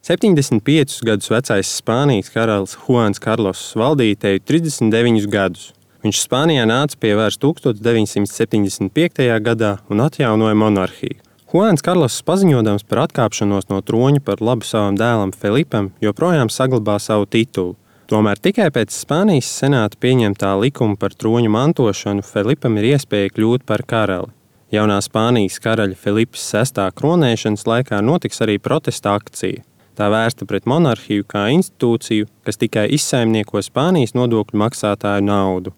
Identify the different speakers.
Speaker 1: 75 gadus vecais Spānijas karalis Juans Karloss valdīja te 39 gadus. Viņš Spānijā nāca pie varas 1975. gadā un atjaunoja monarhiju. Juans Karloss, paziņodams par atkāpšanos no troņa par labu savam dēlam Felipam, joprojām saglabā savu titulu. Tomēr tikai pēc Spānijas senāta pieņemtā likuma par troņa mantošanu Felipam ir iespēja kļūt par karali. Jaunā Spānijas karaļa Felipa VI kronēšanas laikā notiks arī protesta akcija. Tā vērsta pret monarhiju kā institūciju, kas tikai izsaimnieko Spānijas nodokļu maksātāju naudu.